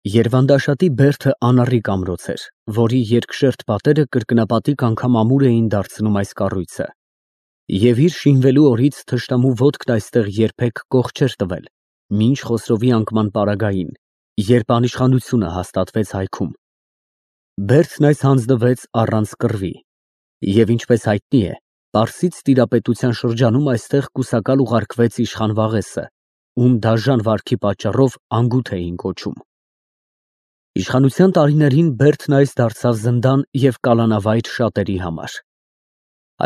Երվանդաշատի բերդը անառիկ ամրոց էր, որի երկշերտ պատերը կրկնապատիկ անգամ ամուր էին դարձնում այս կառույցը, և իր շինվելու օրից թշնամու ոտքն այստեղ երբեք կող չէր տվել, մինչ Խոսրովի անկման պարագային, երբ անիշխանությունը հաստատվեց հայքում։ Բերդն այս հանձնվեց առանց կռվի, և ինչպես հայտնի է, Պարսից տիրապետության շրջանում այստեղ կուսակալ ուղարկվեց իշխան Վաղեսը, ում դաժան վարքի պատճառով անգութ էին կոչում։ Իշխանության տարիներին Բերդն այս դարձավ զնդան և կալանավայր շատերի համար։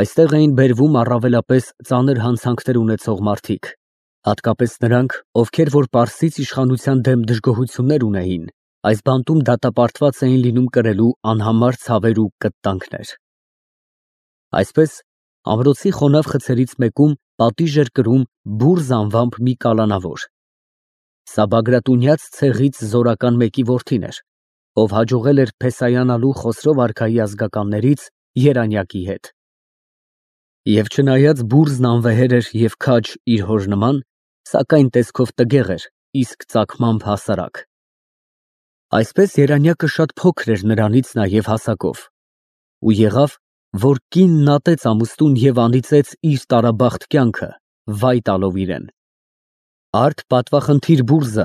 Այստեղ էին բերվում առավելապես ծանր հանցանքներ ունեցող մարդիկ, հատկապես նրանք, ովքեր որ Պարսից իշխանության դեմ դժգոհություններ ունեին, այս բանտում դատապարտված էին լինում կրելու անհամար ցավեր ու կտտանքներ։ Այսպես, ամրոցի խոնավ խցերից մեկում պատիժ էր կրում Բուրզ անվամբ մի կալանավոր։ Սա Բագրատունյաց ցեղից զորական մեկի որդին էր, ով հաջողել էր փեսայանալու Խոսրո վարքայի ազգականներից Երանյակի հետ։ Եվ չնայած Բուրզն անվեհեր էր և քաջ իր հոր նման, սակայն տեսքով տգեղ էր, իսկ ծագմամբ հասարակ։ Այսպես Երանյակը շատ փոքր էր նրանից նաև հասակով, ու եղավ, որ կինն ատեց ամուսնուն և անիծեց իր տարաբախտ կյանքը, վայ տալով իրեն։ Արդ պատվախնդիր Բուրզը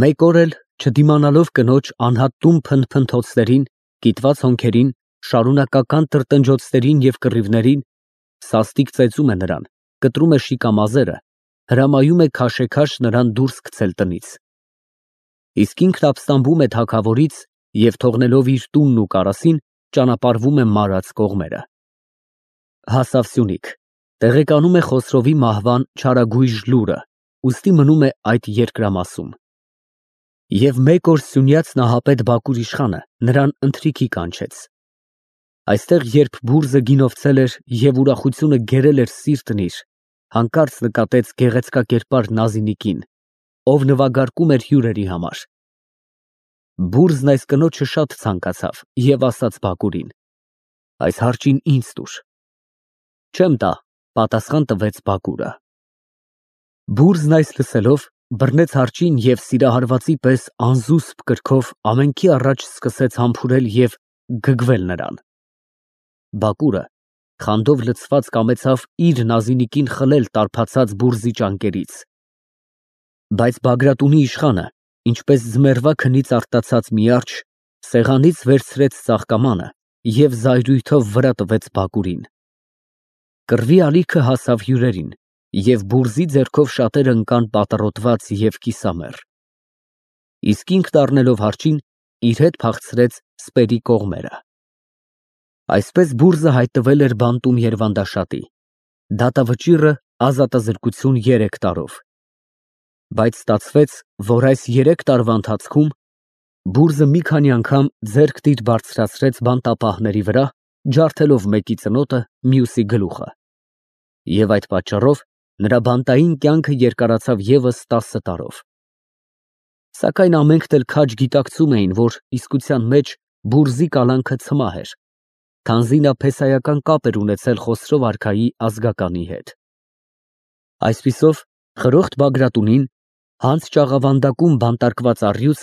մեկ օր էլ, չդիմանալով կնոջ անհատտում փնփնթոցներին, կիտված հոնքերին, շարունակական տրտնջոցներին և կռիվներին, սաստիկ ծեծում է նրան, կտրում է շիկամազերը, հրամայում է քաշեքաշ նրան դուրս գցել տնից։ Իսկ ինքն ապստամբում է թագավորից և թողնելով իր տունն ու կարասին, ճանապարհվում է մարած կողմերը։ Հասավ Սյունիք, տեղեկանում է Խոսրովի մահվան չարագույժ լուրը, ուստի մնում է այդ երկրամասում։ Եվ մեկ օր Սյունյաց նահապետ Բակուր իշխանը նրան ընթրիքի կանչեց։ Այստեղ երբ Բուրզը գինովցել էր և ուրախությունը գերել էր սիրտն իր, հանկարծ նկատեց գեղեցկակերպար Նազինիկին, ով նվագարկում էր հյուրերի համար։ Բուրզն այս կնոջը շատ ցանկացավ և ասաց Բակուրին. այս հարճին ինձ տուր։ Չեմ տա, պատասխան տվեց Բակուրը։ Բուրզն այս լսելով բռնեց հարճին և սիրահարվածի պես անզուսպ կրքով ամենքի առաջ սկսեց համբուրել և գգվել նրան։ Բակուրը խանդով լցված կամեցավ իր Նազինիկին խլել տարբացած Բուրզի ճանկերից։ Բայց Բագրատունի իշխանը, ինչպես ձմեռվա քնից արտացած մի արջ, սեղանից վերցրեց ծաղկամանը և զայրույթով վրա տվեց Բակուրին։ Կռվի ալիքը հասավ հյուրերին, և Բուրզի ձեռքով շատերը ընկան պատռոտված և կիսամեռ։ Իսկ ինքն առնելով հարճին, իր հետ փախցրեց սպերի կողմերը։ Այսպես Բուրզը հայտնվել էր բանտում Երվանդաշատի, դատավճիռը ազատազրկություն 3 տարով։ Բայց ստացվեց, որ այս 3 տարվա ընթացքում Բուրզը մի քանի անգամ ձեռքն իր բարձրացրեց բանտապահների վրա, ջարդելով մեկի ծնոտը, մյուսի գլուխը։ Եվ այդ պատճառով նրա բանտային կյանքը երկարացավ ևս 10 տարով։ Սակայն ամենքն էլ քաջ գիտակցում էին, որ իսկության մեջ Բուրզի կալանքը ցմահ էր, քանզի նա փեսայական կապ էր ունեցել Խոսրո վարքայի ազգականի հետ։ Այսպիսով խրոխտ Բագրատունին, հանց ճաղավանդակում բանտարկված առյուծ,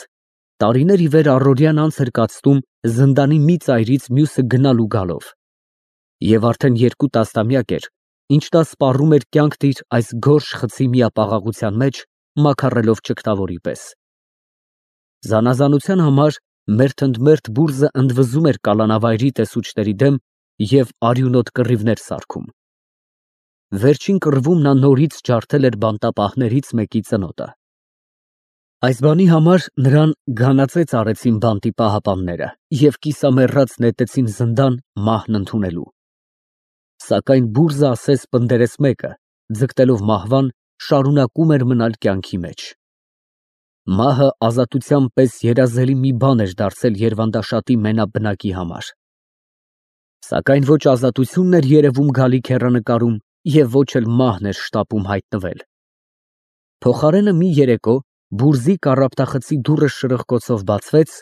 տարիներ ի վեր առօրյան անց էր կացնում զնդանի մի ծայրից մյուսը գնալ ու գալով։ Եվ արդեն 2 տասնամյակ էր, ինչ նա սպառում էր կյանքն իր այս գորշ խցի միապաղաղության մեջ, մաքարելով ճգնավորի պես։ Զանազանության համար մերթընդմերթ Բուրզը ընդվզում էր կալանավայրի տեսուչների դեմ և արյունոտ կռիվներ սարքում։ Վերջին կռվում նա նորից ջարդել էր բանտապահներից մեկի ծնոտը։ Այս բանի համար նրան գանածեց արեցին բանտի պահապանները և կիսամեռած նետեցին զնդան մահն ընդունելու։ Սակայն Բուրզը ասես պնդերես մեկը, ձգտելով մահվան, շարունակում էր մնալ կյանքի մեջ։ Մահը ազատության պես երազելի մի բան էր դարձել Երվանդաշատի մենաբնակի համար։ Սակայն ոչ ազատությունն էր երևում գալիք հեռանկարում և ոչ էլ մահն էր շտապում հայտնվել։ Փոխարենը մի երեկո Բուրզի կառափտախցի դուռը շրխկոցով բացվեց,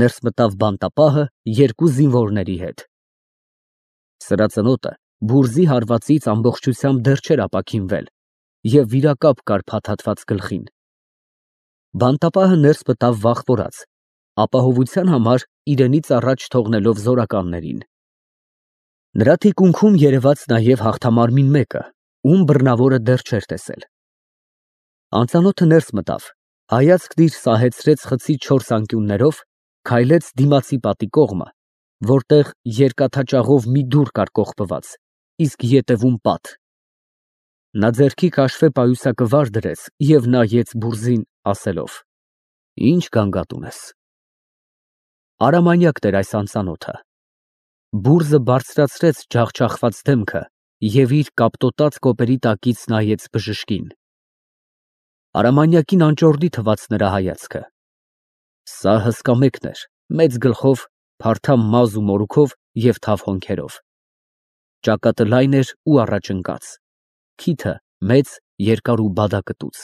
ներս մտավ բանտապահը 2 զինվորների հետ։ Սրա ծնոտը Բուրզի հարվածից ամբողջությամբ դեռ չէր ապաքինվել և վիրակապ կար փաթաթված գլխին։ Բանտապահը ներս մտավ վախվորած ապահովության համար իրենից առաջ թողնելով զորականներին։ Նրա թիկունքում երևաց նաև հաղթամարմին մեկը, ում բռնավորը դեռ չէր տեսել։ Անծանոթը ներս մտավ, հայացքն իր սահեցրեց խցի 4 անկյուններով, քայլեց դիմացի պատի կողմը, որտեղ երկաթաճաղով մի դուռ կար կողպված, իսկ ետևում պատ։ Նա ձեռքի քաշֆե պայուսակը վար դրեց և նայեց բուրզին, ասելով. «Ինչ գանգատ ունես»։ Արամանյակն էր այս անծանոթը։ Բուրզը բարձրացրեց ջախջախված դեմքը և իր կապտոտած կոպերի տակից նայեց բժշկին։ Արամանյակին անճոռնի թվաց նրա հայացքը։ Սա հսկա մեկն էր, մեծ գլխով, փարթամ մազ ու մորուքով և թավ հոնքերով։ Ճակատը լայն էր ու առաջընկած, քիթը մեծ, երկար ու բադակտուց։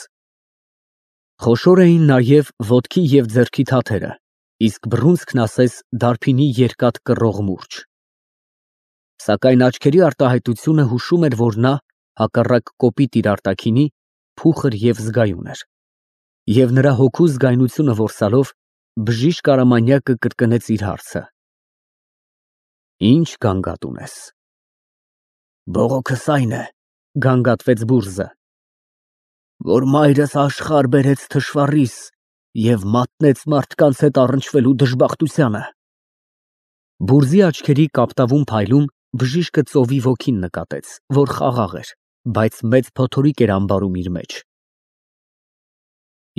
Խոշոր էին նաև ոտքի և ձեռքի թաթերը, իսկ բռունցքն ասես դարբինի երկաթ կռող մուրճ։ Սակայն աչքերի արտահայտությունը հուշում էր, որ նա, հակառակ կոպիտ իր արտաքինի, փուխր և զգայուն էր։ Եվ նրա հոգու զգայունությունը որսալով, բժիշկ Արամանյակը կրկնեց իր հարցը. «Ինչ գանգատ ունես»։ «Բողոքս այն է, ֊ գանգատվեց բուրզը, ֊ որ մայրս աշխարհ բերեց թշվառիս և մատնեց մարդկանց հետ առնչվելու դժբախտությանը»։ Բուրզի աչքերի կապտավուն փայլում բժիշկը ծովի ոգին նկատեց, որ խաղաղ էր, բայց մեծ փոթորիկ էր ամբարում իր մեջ։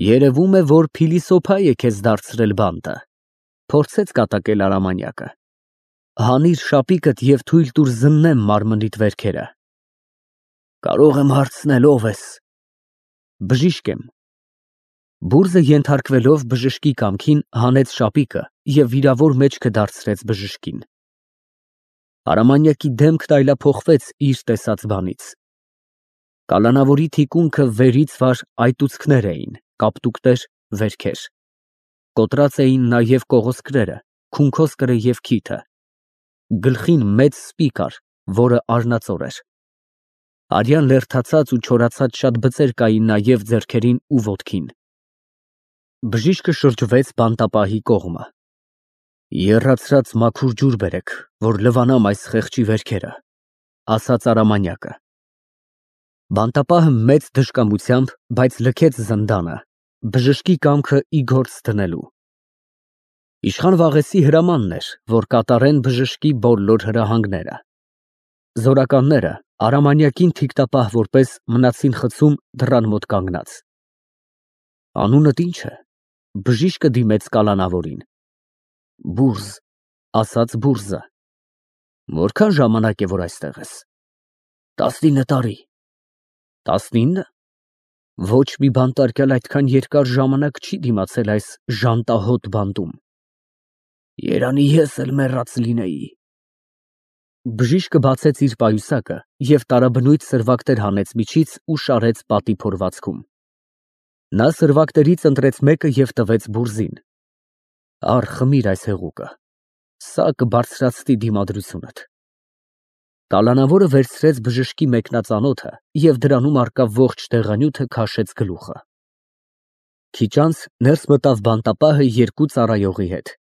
«Երևում է, որ փիլիսոփա է քեզ դարձրել բանտը», ֊ փորձեց կատակել Արամանյակը։ «Հանիր շապիկդ և թույլ տուր զննեմ մարմնիդ վերքերը»։ «Կարող եմ հարցնել ով ես»։ «Բժիշկ եմ»։ Բուրզը ենթարկվելով բժշկի կամքին հանեց շապիկը և վիրավոր մեջքը դարձրեց բժշկին։ Արամանյակի դեմքն այլափոխվեց իր տեսած բանից։ Կալանավորի թիկունքը վերից վար այտուցքներ էին, կապտուկներ, վերքեր։ Կոտրած էին նաև կողոսկրերը, քունքոսկրը և քիթը։ Գլխին մեծ սպի կար, որը արնածոր էր։ Արյան լերդացած ու չորացած շատ բծեր կային նաև ձեռքերին ու ոտքին։ Բժիշկը շրջվեց բանտապահի կողմը։ «Եռացրած մաքուր ջուր բերեք, որ լվանամ այս խեղճի վերքերը», ֊ ասաց Արամանյակը։ Բանտապահը մեծ դժկամությամբ, բայց լքեց զնդանը, բժշկի կամքը ի գործ դնելու։ Իշխան Վաղեսի հրամանն էր, որ կատարեն բժշկի բոլոր հրահանգները։ Զորականները Արամանյակին թիկտապահ որպես մնացին խցում դռան մոտ կանգնած։ «Անունդ ի՞նչ է», ֊ բժիշկը դիմեց կալանավորին։ «Բուրզ», ֊ ասաց բուրզը։ «Որքան ժամանակ է, որ այստեղ ես»։ «19 տարի»։ 19։ Ոչ մի բանտարկյալ այդքան երկար ժամանակ չի դիմացել այս ժանտահոտ բանտում։ Երանի ես էլ մեռած լինեի։ Բժիշկը բացեց իր պայուսակը և տարաբնույթ սրվակներ հանեց միջից ու շարեց պատի փորվածքում։ Նա սրվակներից ընտրեց մեկը և տվեց բուրզին։ Առ, խմիր այս հեղուկը, սա կբարձրացնի դիմադրությունդ։ Կալանավորը վերցրեց բժշկի մեկնածանոթը և դրանում առկա ողջ դեղանյութը քաշեց գլուխը։ Քիչ անց ներս մտավ բանտապահը երկու ծառայողի հետ։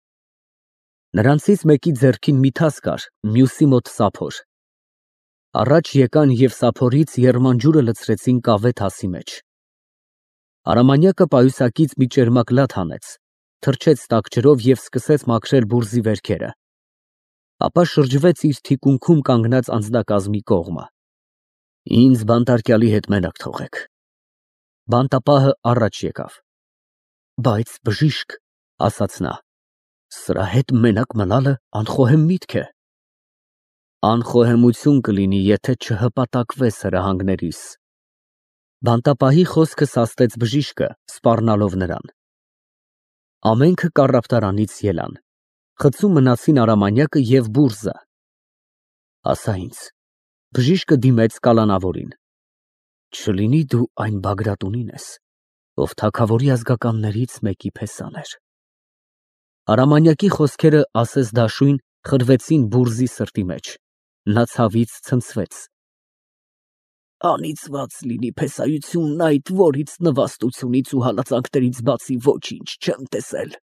Նրանցից մեկի ձեռքին մի թաս կար, մյուսի մոտ սափոր։ Առաջ եկան և սափորից եռման ջուրը լցրեցին կավե թասի մեջ։ Արամանյակը պայուսակից մի ճերմակ լատ հանեց, թրջեց տաք ջրով և սկսեց մաքրել բուրզի վերքերը, ապա շրջվեց իր թիկունքում կանգնած անձնակազմի կողմը։ Ինձ բանտարկյալի հետ մենակ թողեք։ Բանտապահը առաջ եկավ։ Բայց բժիշկ, ֊ ասաց նա, ֊ սրա հետ մենակ մնալը անխոհեմ միտք է։ Անխոհեմություն կլինի, եթե չհպատակվես հրահանգներիս։ Բանտապահի խոսքը սաստեց բժիշկը, սպառնալով նրան։ Ամենքը կառապտարանից ելան։ Խցում մնացին Արամանյակը և բուրզը։ Ասա ինձ, բժիշկը դիմեց կալանավորին, չլինի դու այն Բագրատունին ես, ով թագավորի ազգականներից մեկի փեսան էր։ Արամանյակի խոսքերը ասես դաշույն խրվեցին բուրզի սրտի մեջ։ Նա ցավից ցնցվեց։ Անիծված լինի փեսայությունն այդ, որից նվաստությունից ու հալածանքներից բացի ոչինչ չեմ տեսել։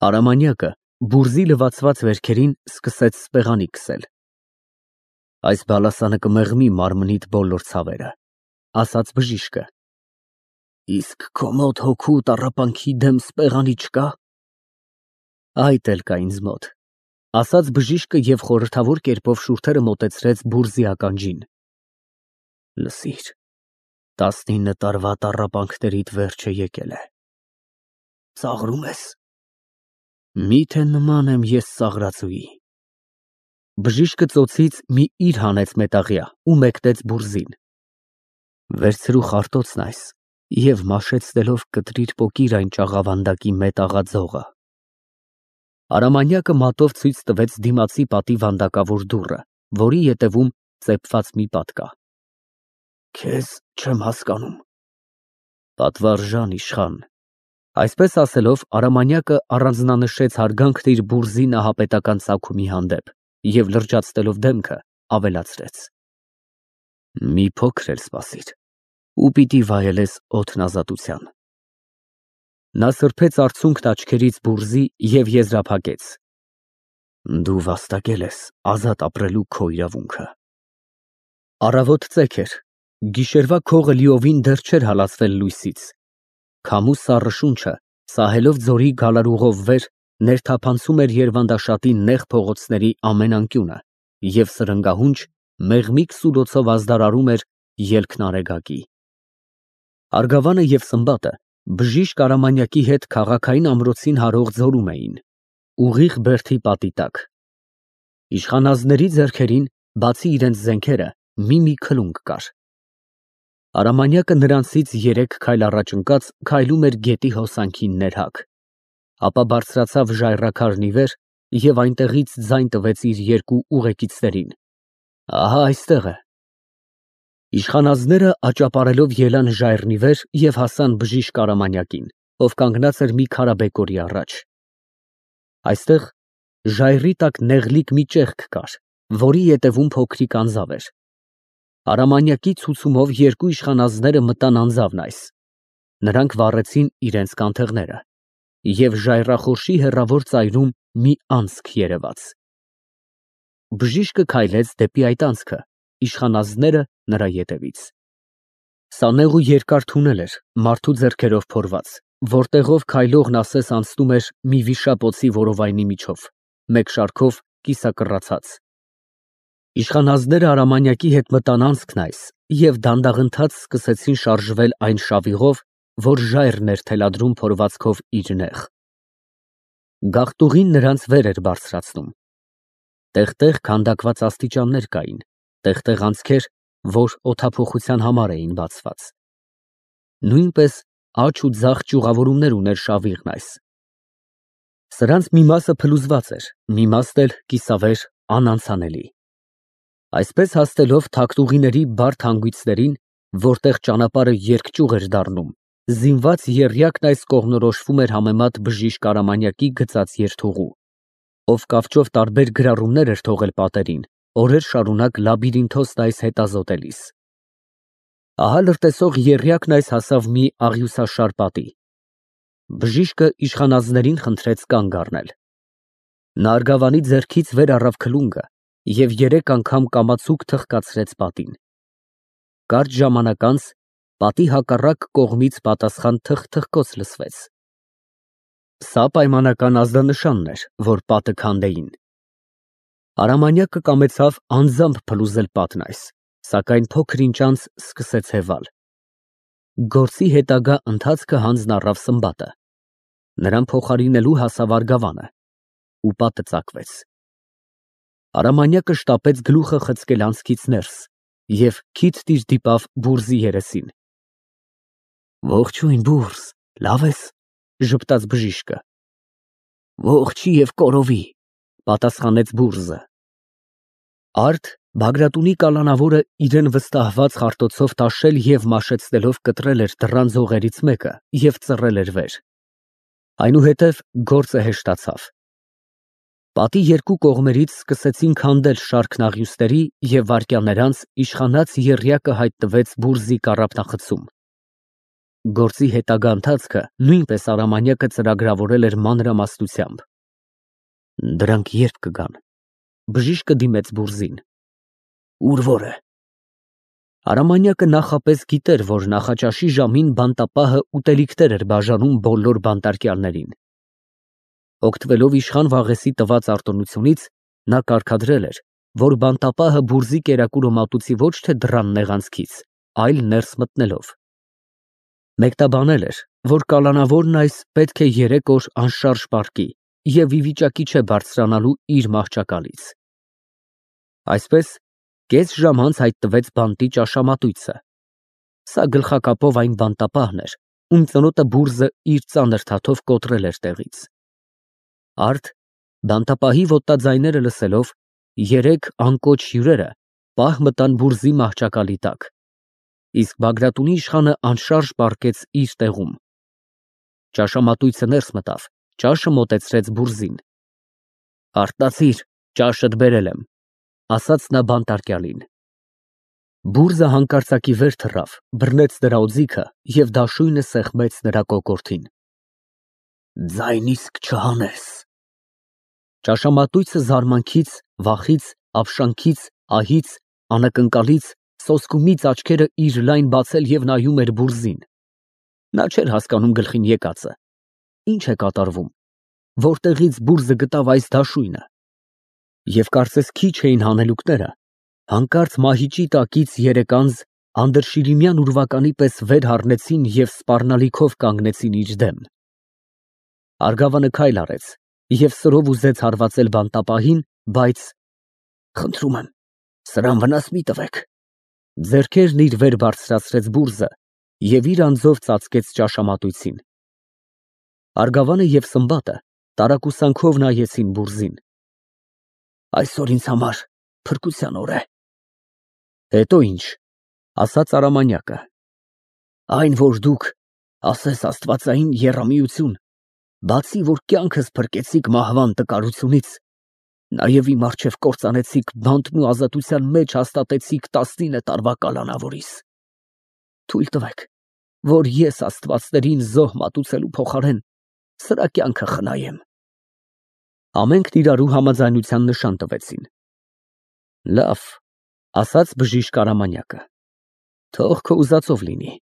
Արամանյակը բուրզի լվացված վերքերին սկսեց սպեղանի քսել։ Այս բալասանը կմեղմի մարմնիդ բոլոր ցավերը, ասաց բժիշկը։ Իսկ քո մոտ հոգու տառապանքի դեմ սպեղանի չկա։ Այդ էլ կա ինձ մոտ, ասաց բժիշկը և խորհրդավոր կերպով շուրթերը մոտեցրեց բուրզի ականջին։ Լսիր, 19 տարվա տառապանքներիդ վերջը եկել է։ Ծաղրում ես։ Միթե նման եմ ես ծաղրածուի։ Բժիշկը ծոցից մի իր հանեց մետաղյա ու մեկնեց բուրզին։ Վերցրու խարտոցն այս և մաշեցնելով կտրիր պոկիր այն ճաղավանդակի մետաղաձողը։ Արամանյակը մատով ցույց տվեց դիմացի պատի վանդակավոր դուռը, որի ետևում ծեփված մի պատ կա։ Քեզ չեմ հասկանում։ Պատվարժան իշխան։ Այսպես ասելով Արամանյակը առանձնանշեց հարգանքն իր բուրզի նահապետական ծագումի հանդեպ և լրջացնելով դեմքը ավելացրեց. Մի փոքր էլ սպասիր ու պիտի վայելես օդն ազատության։ Նա սրբեց արցունքն աչքերից բուրզի և եզրափակեց. Դու վաստակել ես ազատ ապրելու քո իրավունքը։ Առավոտ ծեք էր, գիշերվա քողը լիովին դեռ չէր հալածվել լույսից։ Քամու սառը շունչը, սահելով ձորի գալարուղով վեր, ներթափանցում էր Երվանդաշատի նեղ փողոցների ամեն անկյունը և սրընգահունչ, մեղմիկ սուլոցով ազդարարում էր ելքն Արեգակի։ Արգավանը և Սմբատը բժիշկ Արամանյակի հետ քաղաքային ամրոցին հարող ձորում էին, ուղիղ բերդի պատի տակ։ Իշխանազնների ձեռքերին, բացի իրենց զենքերը, մի քլունգ կար։ Արամանյակը նրանցից 3 քայլ առաջ ընկած քայլում էր գետի հոսանքին ներհակ, ապա բարձրացավ ժայռաքարն ի վեր և այնտեղից ձայն տվեց իր 2 ուղեկիցներին. Ահա այստեղ է։ Իշխանազները աճապարելով ելան ժայռն ի վեր և հասան բժիշկ Արամանյակին, ով կանգնած էր մի քարաբեկորի առաջ։ Այստեղ ժայռի տակ նեղլիկ մի ճեղք կար, որի ետևում փոքրիկ անձավ էր։ Արամանյակի ցուցումով 2 իշխանազները մտան անձավն այս։ Նրանք վառեցին իրենց կանթեղները, և ժայռախորշի հեռավոր ծայրում մի անցք երևաց։ Բժիշկը քայլեց դեպի այդ անցքը, իշխանազները նրա ետևից։ Սա նեղ ու երկար թունել էր, մարդու ձեռքերով փորված, որտեղով քայլողն ասես անցնում էր մի վիշապոցի որովայնի միջով, մեկ շարքով կիսակռացած։ Իշխանազները Արամանյակի հետ մտան անցքն այս և դանդաղընթաց սկսեցին շարժվել այն շավիղով, որ ժայռն էր թելադրում փորվածքով իր նեղ։ Գաղտուղին նրանց վեր էր բարձրացնում։ Տեղ-տեղ քանդակված աստիճաններ կային, տեղ֊տեղ անցքեր, որ օդափոխության համար էին բացված։ Նույնպես աջ ու ձախ ճյուղավորումներ ուներ շավիղն այս։ Սրանց մի մասը փլուզված էր, մի մասն էլ կիսավեր, անանցանելի։ Այսպես հասնելով թաքտուղիների բարդ հանգույցներին, որտեղ ճանապարհը երկճյուղ էր դառնում, զինված եռյակն այս կողմնորոշվում էր համեմատ բժիշկ Արամանյակի գծած երթուղու, ով կավճով տարբեր գրառումներ էր թողել պատերին, օրեր շարունակ լաբիրինթոսն այս հետազոտելիս։ Ահա լրտեսող եռյակն այս հասավ մի աղյուսաշար պատի։ Բժիշկը իշխանազներին խնդրեց կանգ առնել։ Նա արգավանի ձեռքից վեր առավ քլունգը և 3 անգամ կամացուկ թխկացրեց պատին։ Կարճ ժամանակ անց պատի հակառակ կողմից պատասխան թխթխկոց լսվեց։ Սա պայմանական ազդանշանն էր, որ պատը քանդեին։ Արամանյակը կամեցավ անձամբ փլուզել պատն այս, սակայն փոքր ինչ անց սկսեց հևալ։ Գործի հետագա ընթացքը հանձն առավ Սմբատը։ Նրան փոխարինելու հասավ Արգավանը, ու պատը ծակվեց։ Արամանյակը շտապեց գլուխը խցկել անցքից ներս և քիթ-տիր դիպավ բուրզի երեսին։ Ողջույն, բուրզ, լավ ես, ժպտաց բժիշկը։ Ողջի և կորովի, պատասխանեց բուրզը։ Արդ Բագրատունի կալանավորը իրեն վստահված խարտոցով տաշել և մաշեցնելով կտրել էր դռան ձողերից մեկը և ծռել էր վեր։ Այնուհետև գործը հեշտացավ։ Պատի 2 կողմերից սկսեցին քանդել շարքն աղյուսների և վայրկյաններ անց իշխանած եռյակը հայտնվեց բուրզի կառափնախցում։ Գործի հետագա ընթացքը նույնպես Արամանյակը ծրագրավորել էր մանրամասնությամբ։ Դրանք երբ կգան։ Բժիշկը դիմեց Բուրզին։ Ուր որը։ Արամանյակը նախապես գիտեր, որ նախաճաշի ժամին բանտապահը ուտելիքներ էր բաժանում բոլոր բանտարկյալներին։ Օգտվելով իշխան Վաղեսի տված արտոնությունից, նա կարգադրել էր, որ բանտապահը Բուրզի կերակուրը մատուցի ոչ թե դռան նեղանցքից, այլ ներս մտնելով։ Մեկտաբանել էր, որ կալանավորն այս պետք է 3 օր անշարժ պառկի և ի վիճակի չէ բարձրանալու իր մահճակալից։ Այսպես, կես ժամ անց հայտնվեց բանտի ճաշամատույցը։ Սա գլխակապով այն բանտապահն էր, ում ծնոտը Բուրզը իր ծանր թաթով կոտրել էր տեղից։ Արդ, բանտապահի ոտաձայները լսելով, 3 անկոչ հյուրերը պահ մտան Բուրզի մահճակալի տակ, իսկ Բագրատունի իշխանը անշարժ պառկեց իր տեղում։ Ճաշամատույցը ներս մտավ, ճաշը մոտեցրեց Բուրզին։ Արտացիր, ճաշըդ բերել եմ, ասաց նա բանտարկյալին։ Բուրզը հանկարծակի վեր թռավ, բռնեց նրա օձիքը և դաշույնը սեղմեց նրա կոկորդին։ Ձայն իսկ չհանես։ Ճաշամատույցը զարմանքից, վախից, ապշանքից, ահից, անակնկալից, սոսկումից աչքերը իր լայն բացել և նայում էր Բուրզին։ Նա չէր հասկանում գլխին եկածը։ Ինչ է կատարվում, որտեղից Բուրզը գտավ այս դաշույնը։ Եվ կարծես քիչ էին հանելուկները, հանկարծ մահիճի տակից 3 անձ անդրշիրիմյան ուրվականի պես վեր հառնեցին և սպառնալիքով կանգնեցին իր դեմ։ Արգավանը քայլ արեց և սրով ուզեց հարվածել բանտապահին, բայց խնդրում եմ, սրան վնաս մի տվեք։ Ձեռքերն իր վեր բարձրացրեց Բուրզը և իր անձով ծածկեց ճաշամատույցին։ Արգավանը և Սմբատը տարակուսանքով նայեցին Բուրզին։ Այսօր ինձ համար փրկության օր է։ Հետո ինչ, ասաց Արամանյակը։ Այն, որ դուք, ասես աստվածային եռամիություն, բացի որ կյանքս փրկեցիք մահվան տկարությունից, նաև իմ առջև կործանեցիք բանտն ու ազատության մեջ հաստատեցիք 19 տարվա կալանավորիս։ Թույլ տվեք, որ ես աստվածներին զոհ մատուցելու փոխարեն սրա կյանքը խնայեմ։ Ամենքն իրարու համաձայնության նշան տվեցին։ Լավ, ասաց բժիշկ Արամանյակը։ Թող քո ուզածով լինի,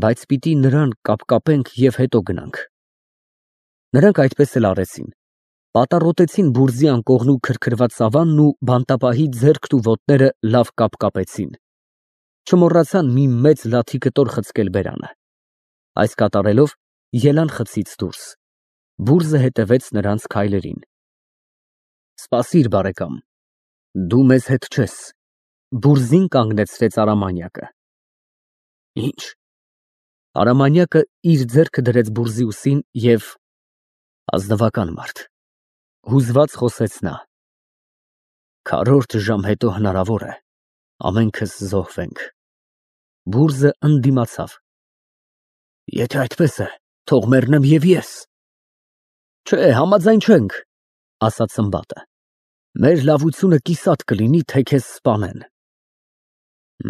բայց պիտի նրան կապկապենք և հետո գնանք։ Նրանք այդպես էլ արեցին։ Պատառոտեցին Բուրզի անկողնու քրքրված սավանն ու բանտապահի ձեռքն ու ոտները լավ կապկապեցին։ Չմոռացան մի մեծ լաթի կտոր խցկել բերանը։ Այս կատարելով ելան խցից դուրս։ Բուրզը հետևեց նրանց քայլերին։ Սպասիր, բարեկամ, դու մեզ հետ չես, Բուրզին կանգնեցրեց Արամանյակը։ Ինչ։ Արամանյակը իր ձեռքը դրեց Բուրզի ուսին և ազնվական մարդ, հուզված խոսեց նա։ Քառորդ ժամ հետո հնարավոր է ամենքս զոհվենք։ Բուրզը ընդդիմացավ։ Եթե այդպես է, թող մեռնեմ և ես։ Չէ, համաձայն չենք, ասաց Սմբատը։ Մեր լավությունը կիսատ կլինի, թե քեզ սպանեն։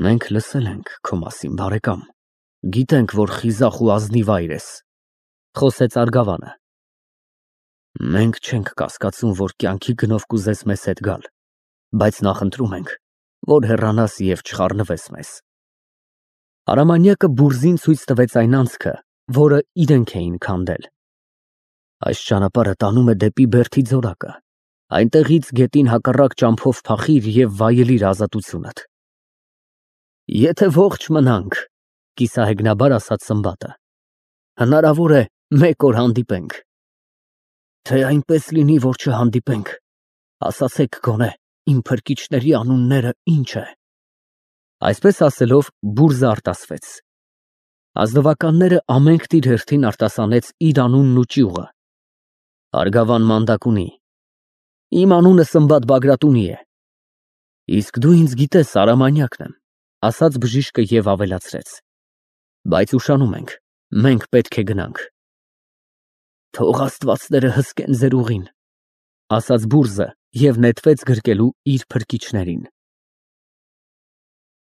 Մենք լսել ենք քո մասին, բարեկամ, գիտենք, որ խիզախ ու ազնիվ այր ես, խոսեց Արգավանը։ Մենք չենք կասկածում, որ կյանքի գնով կուզես մեզ հետ գալ, բայց նախընտրում ենք, որ հեռանաս և չխառնվես մեզ։ Արամանյակը Բուրզին ցույց տվեց այն անցքը, որը իրենք էին քանդել։ Այս ճանապարհը տանում է դեպի Բերդի ձորակը, այնտեղից գետին հակառակ ճամփով փախիր և վայելիր ազատությունդ։ Եթե ողջ մնանք, կիսահեգնաբար ասաց Սմբատը, հնարավոր է 1 օր հանդիպենք։ Թե այնպես լինի, որ չհանդիպենք, ասացեք գոնե իմ փրկիչների անունները ինչ է։ Այսպես ասելով Բուրզը արտասվեց։ Ազնվականները ամենքն իր հերթին արտասանեց իր անունն ու ճյուղը։ Արգավան մանդակ ունի։ Իմ անունը Սմբատ Բագրատունի է։ Իսկ դու ինձ գիտես, Արամանյակն եմ, ասաց բժիշկը և ավելացրեց. Բայց ուշանում ենք, մենք պետք է գնանք։ Թող աստվածները հսկեն ձեր ուղին, ասաց Բուրզը և նետվեց գրկելու իր փրկիչներին։